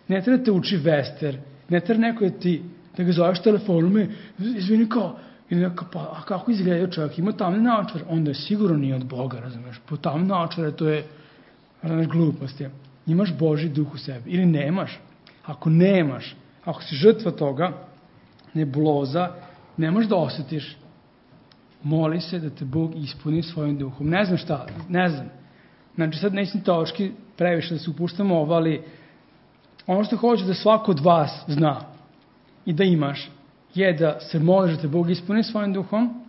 Speaker 1: Ne treba da te uči Vester. Ne treba neko da ti, da ga zoveš telefonom i izvini kao, ili neka, pa a kako izgleda čovjek, ima tamne naočare, onda je sigurno nije od Boga, razumeš, po tamne naočare to je, razumeš, glupost je. Imaš Božji duh u sebi, ili nemaš. Ako nemaš, ako si žrtva toga, nebuloza, ne možeš da osjetiš, moli se da te Bog ispuni svojim duhom. Ne znam šta, ne znam. Znači sad nećem teološki previše da se upuštamo ovo, ali ono što hoću da svako od vas zna i da imaš, je da se moliš da te Bog ispuni svojim duhom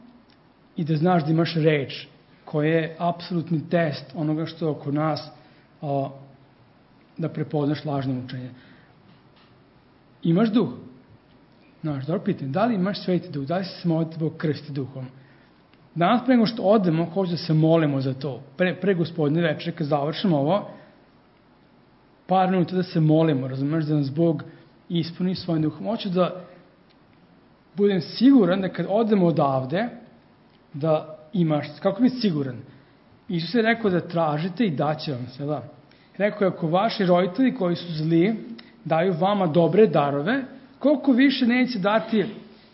Speaker 1: i da znaš da imaš reč koja je apsolutni test onoga što je oko nas, a, da prepoznaš lažno učenje. Imaš duh? Znaš, dobro pitanje, da li imaš sveti duh? Da li se molite Bog krsti duhom? Danas pre nego što odemo, hoću da se molimo za to. Pre, pre gospodine večere, kad završimo ovo, par minuta da se molimo, razumeš, da nas Bog ispuni svojim duhom. Hoću da budem siguran da kad odemo odavde, da imaš, kako biti siguran? Isus je rekao da tražite i daće vam se, da. Rekao je, ako vaši roditelji koji su zli daju vama dobre darove, koliko više neće dati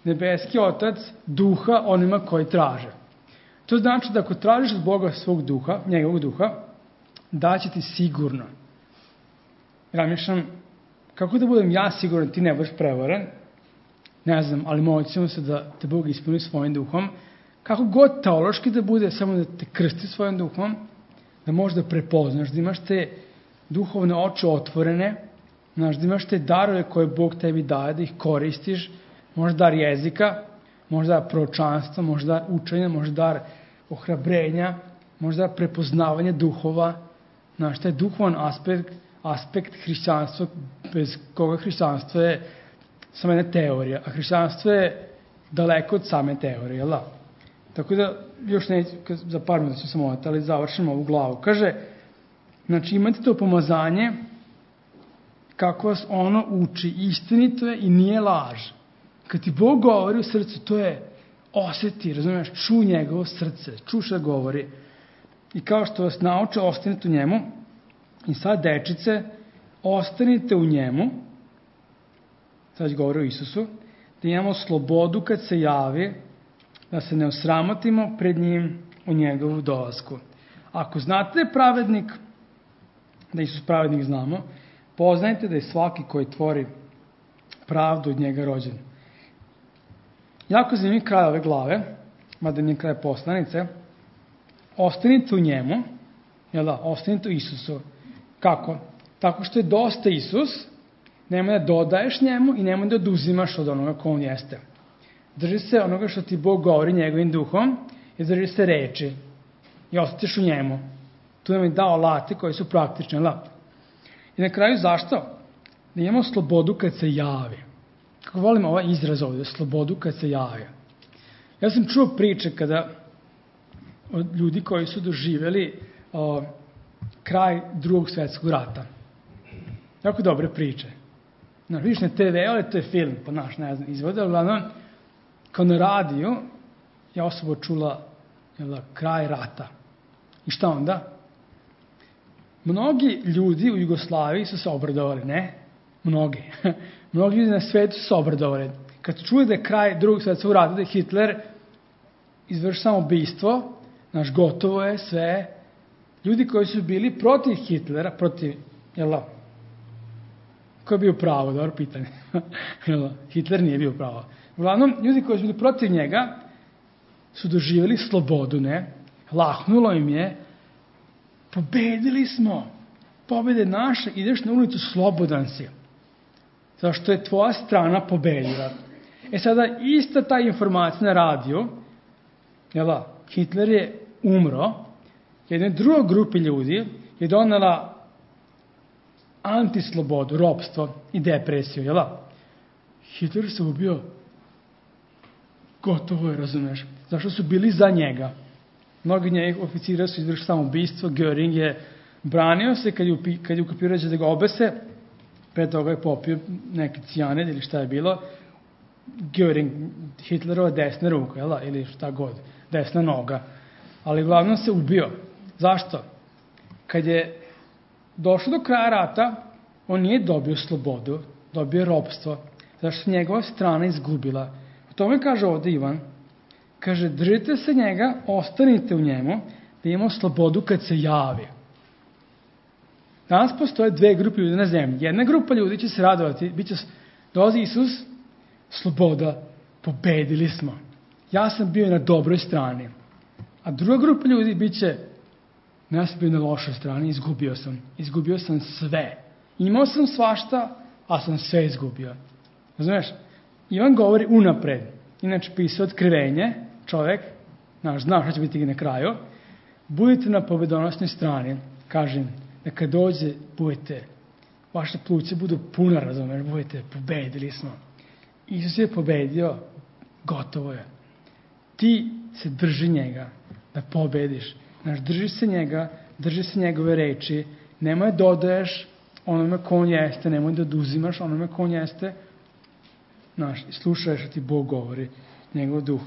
Speaker 1: nebeski Otac duha onima koji traže. To znači da ako tražiš od Boga svog duha, njegovog duha, daće ti sigurno. Razmišljam, kako da budem ja siguran, ti ne budeš prevaren, ne znam, ali molit ćemo se da te Bog ispuni svojim duhom, kako god teološki da bude, samo da te krsti svojim duhom, da možeš da prepoznaš, da imaš te duhovne oči otvorene, znaš, da imaš te darove koje Bog tebi daje, da ih koristiš, možda dar jezika, možda dar proročanstva, možda dar učenja, možda dar ohrabrenja, možda dar prepoznavanja duhova, znaš, taj duhovan aspekt, aspekt hrišćanstva, bez koga hrišćanstvo je samo jedna teorija, a hrišćanstvo je daleko od same teorije, jel da? Tako da, još neću, za par minuta ću samo ovati, ali završimo ovu glavu. Kaže, znači imate to pomazanje kako vas ono uči, istinito je i nije laž. Kad ti Bog govori u srcu, to je osjeti, razumiješ, ču njegovo srce, ču što govori. I kao što vas nauče, ostanite u njemu. I sad, dečice, ostanite u njemu, sad govori o Isusu, da imamo slobodu kad se javi, da se ne osramotimo pred njim u njegovu dolasku. Ako znate da je pravednik, da Isus pravednik znamo, poznajte da je svaki koji tvori pravdu od njega rođen. Jako zanimljiv kraj ove glave, mada nije kraj poslanice, ostanite u njemu, jel da, ostanite u Isusu. Kako? Tako što je dosta Isus, nemoj da dodaješ njemu i nemoj da oduzimaš od onoga ko on jeste. Drži se onoga što ti Bog govori njegovim duhom i drži se reči i ostatiš u njemu. Tu nam je dao alate koji su praktični, jel? I na kraju zašto? Da imamo slobodu kad se javi. Kako volim ovaj izraz ovdje, slobodu kad se javi. Ja sam čuo priče kada od ljudi koji su doživjeli o, kraj drugog svjetskog rata. Jako dobre priče. Znaš, vidiš na te ve, ali to je film, pa naš, ne znam, izvode, ali glavno, kao na radiju, je osoba čula jel, kraj rata. I šta onda? Mnogi ljudi u Jugoslaviji su se obradovali, ne? Mnogi. Mnogi ljudi na svetu su se obradovali. Kad čuje da je kraj drugog svjetskog rata, da je Hitler izvršio samoubistvo, znaš, gotovo je sve. Ljudi koji su bili protiv Hitlera, protiv, jel, ko je bio pravo, dobro pitanje. Hitler nije bio pravo. Uglavnom, ljudi koji su bili protiv njega su doživjeli slobodu, ne? Lahnulo im je, pobedili smo, pobede naše, ideš na ulicu, slobodan si. Zašto je tvoja strana pobedila. E sada, ista ta informacija na radiju, jel, Hitler je umro, jednoj drugoj grupi ljudi je donela antislobodu, ropstvo i depresiju, jel? Hitler se ubio, gotovo je, razumeš, zašto su bili za njega. Mnogi njenih oficira su izvršili samoubistvo, Göring je branio se kad je, kad je ukapirao da ga obese, pre toga je popio neki cijanid ili šta je bilo, Göring, Hitlerova desna ruka, jel da? Ili šta god, desna noga. Ali uglavnom se ubio. Zašto? Kad je došlo do kraja rata, on nije dobio slobodu, dobio je ropstvo, zašto se njegova strana izgubila. U tome kaže ovde Ivan, kaže, držite se njega, ostanite u njemu, da imamo slobodu kad se javi. Danas postoje dve grupe ljudi na zemlji. Jedna grupa ljudi će se radovati, bit će, dolazi Isus, sloboda, pobedili smo. Ja sam bio na dobroj strani. A druga grupa ljudi bit će, ja sam bio na lošoj strani, izgubio sam. Izgubio sam sve. Imao sam svašta, a sam sve izgubio. Razumeš? Ivan govori unapred. Inače pisao otkrivenje, čovek, znaš, znaš šta će biti na kraju. Budite na pobedonosnoj strani, kažem, da kad dođe, budete, vaše pluće budu puna, razumeš, budete, pobedili smo. Isus je pobedio, gotovo je. Ti se drži njega, da pobediš. Znaš, drži se njega, drži se njegove reči, nemoj dodaješ onome ko on jeste, nemoj da oduzimaš onome ko on jeste, znaš, slušaš što ti Bog govori, njegov duh.